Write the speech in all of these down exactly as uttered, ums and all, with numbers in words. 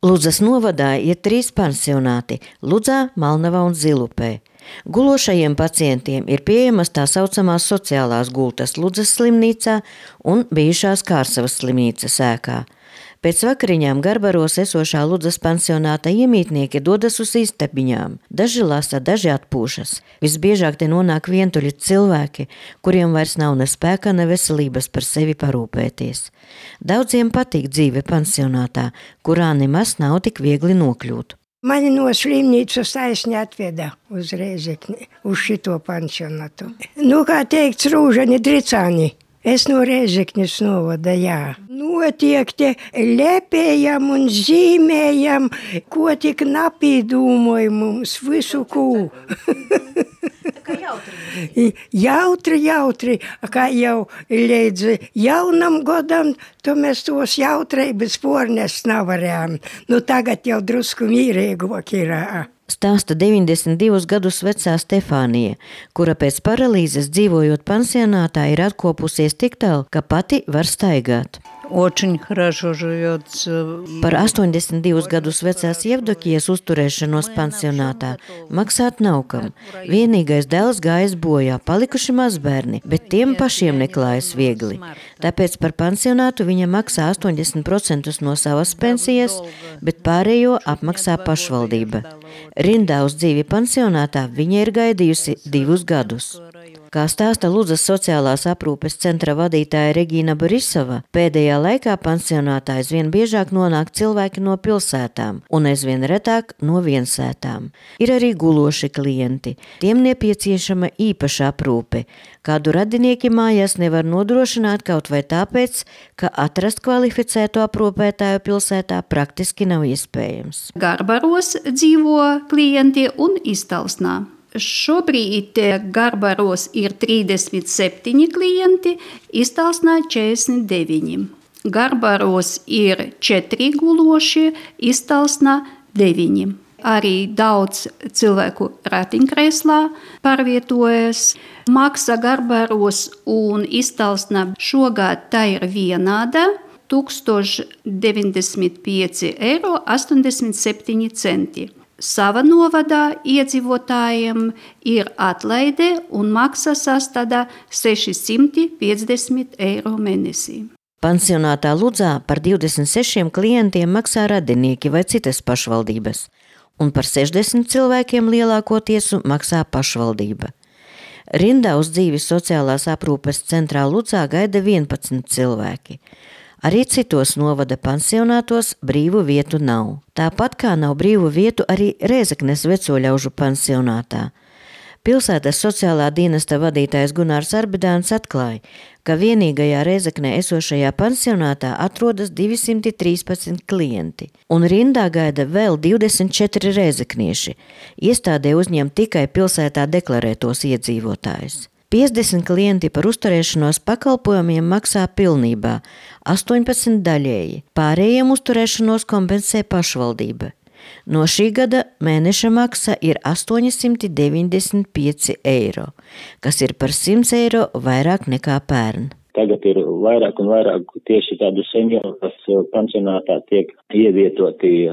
Ludzas novadā ir trīs pansionāti – Ludzā, Malnavā un Zilupē. Gulošajiem pacientiem ir pieejamas tā saucamās sociālās gultas Ludzas slimnīcā un bijušās Kārsavas slimnīcas ēkā. Pēc vakariņām Garbaros esošā Ludzas pansionāta iemītnieki dodas uz istabiņām. Daži lasa, daži atpūšas. Visbiežāk te nonāk vientuļi cilvēki, kuriem vairs nav ne spēka, ne veselības par sevi parūpēties. Daudziem patīk dzīve pansionātā, kurā nemaz nav tik viegli nokļūt. Mani no slimnīcas taisni atveda uz Rēzekni, uz šito pansionātu. Nu, kā teikts, rūžani dricāni. Es no Rēzeknes novada, jā. Notiek te lepējam un zīmējam, ko tik napīdūmoja mums visu kū. Jautri, jautri, kā jau līdz jaunam godam, to mēs tos jautrības pornest nevarējām. Nu, tagad jau drusku mīrīgāk ir. Stāsta deviņdesmit divus gadus vecā Stefānija, kura pēc paralīzes dzīvojot pansionātā ir atkopusies tik tālu, ka pati var staigāt. Par astoņdesmit divus gadus vecās Jevdokijas uzturēšanos pansionātā maksāt nav kam. Vienīgais dēls gājis bojā, palikuši mazbērni, bet tiem pašiem neklājas viegli. Tāpēc par pansionātu viņa maksā astoņdesmit procentus no savas pensijas, bet pārējo apmaksā pašvaldība. Rindā uz dzīvi pansionātā viņa ir gaidījusi divus gadus. Kā stāsta Ludzas sociālās aprūpes centra vadītāja Regīna Borisova, pēdējā laikā pansionātā aizvien biežāk nonāk cilvēki no pilsētām un aizvien retāk no viensētām. Ir arī guloši klienti. Tiem nepieciešama īpaša aprūpe. Kādu radinieki mājās nevar nodrošināt kaut vai tāpēc, ka atrast kvalificētu aprūpētāju pilsētā praktiski nav iespējams. Garbaros dzīvo klienti un Iztalsnā. Šobrīd Garbaros ir trīsdesmit septiņi klienti, Iztalsnā četrdesmit deviņi. Garbaros ir četri gulošie, Iztalsnā deviņi. Arī daudz cilvēku ratiņkrēslā pārvietojas. Maksa Garbaros un Iztalsnā šogad tā ir vienāda – tūkstoš deviņdesmit pieci eiro astoņdesmit septiņi centi. Sava novadā iedzīvotājiem ir atlaide un maksa sastāda sešisimts piecdesmit eiro mēnesī. Pansionātā Ludzā par divdesmit sešiem klientiem maksā radinieki vai citas pašvaldības, un par sešdesmit cilvēkiem lielākoties maksā pašvaldība. Rindā uz dzīvi sociālās aprūpes centrā Ludzā gaida vienpadsmit cilvēki. Arī citos novada pansionātos brīvu vietu nav. Tāpat kā nav brīvu vietu arī Rēzeknes vecoļaužu pansionātā. Pilsētas sociālā dienesta vadītājs Gunārs Arbidāns atklāja, ka vienīgajā Rēzeknē esošajā pansionātā atrodas divsimt trīspadsmit klienti, un rindā gaida vēl divdesmit četri rēzeknieši. Iestādē uzņem tikai pilsētā deklarētos iedzīvotājus. piecdesmit klienti par uzturēšanos pakalpojumiem maksā pilnībā, astoņpadsmit daļēji. Pārējiem uzturēšanos kompensē pašvaldība. No šī gada mēneša maksa ir astoņsimt deviņdesmit pieci eiro, kas ir par simt eiro vairāk nekā pērn. Tagad ir vairāk un vairāk tieši tādu senioru, kas pansionātā tiek ievietoti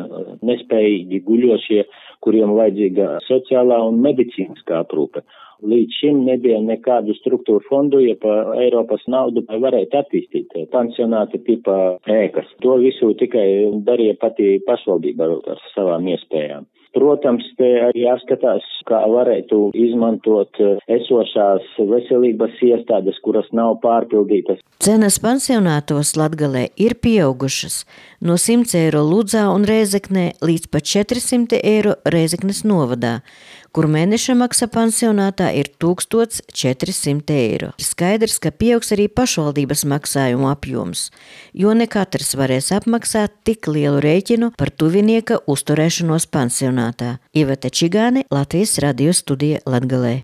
nespējīgi guļošie, kuriem vajadzīga sociālā un medicīniskā aprūpe. Līdz šim nebija nekādu struktūru fondu, ja pa Eiropas naudu varētu attīstīt pansionāta tipa ēkas. To visu tikai darīja pati pašvaldība ar savām iespējām. Protams, te arī jāskatās, kā varētu izmantot esošās veselības iestādes, kuras nav pārpildītas. Cenas pansionātos Latgalē ir pieaugušas no simts eiro Ludzā un Rēzeknē līdz pat četrsimt eiro Rēzeknes novadā, kur mēneša maksa pansionātā ir tūkstoš četrsimt eiro. Ir skaidrs, ka pieaugs arī pašvaldības maksājumu apjoms, jo ne katrs varēs apmaksāt tik lielu rēķinu par tuvinieka uzturēšanos pansionātā. Ivete Čigāne, Latvijas radio studija Latgalē.